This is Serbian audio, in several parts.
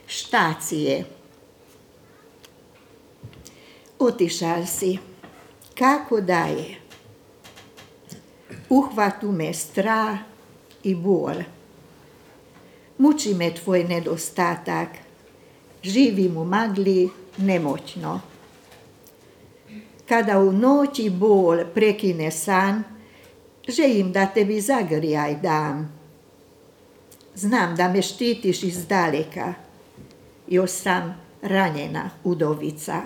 Štacije. Otišal si. Kako daje? Uhvatu me strah i bol. Muči me tvoj nedostatak. Živim u magli nemoćno. Kada u noći bol prekine san, želim da tebi zagrijaj dam. Znam da me štitiš iz daleka, još sam ranjena udovica.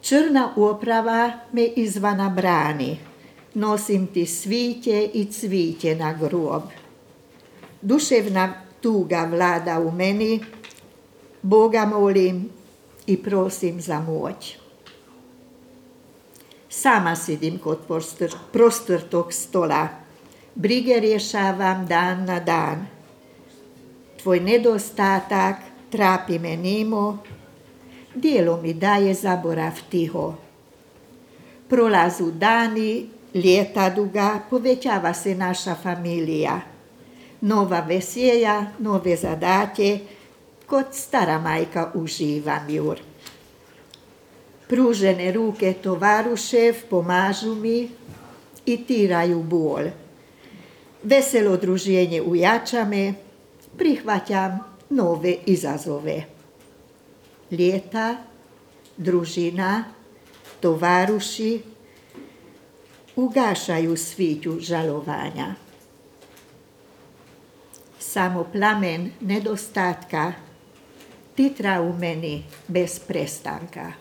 Črna oprava me izvana brani, nosim ti sviće i cviće na grob. Duševna tuga vlada u meni, Boga molim i prosim za moć. Sama sidim kod prostrtog stola, brige rješavam dan na dan. Tvoj nedostatak trapi me nimo, dijelo mi daje zaborav tiho. Prolazu dani, ljeta duga, povećava se naša familija. Nova veselja, nove zadatje, kod stara majka uživam jur. Pružene ruke tovarušev pomažu mi i tiraju bol. Veselo druženje ujača me, prihvaćam nove izazove. Ljeta, družina, tovaruši ugašaju sviću žalovanja. Samo plamen nedostatka titra u meni bez prestanka.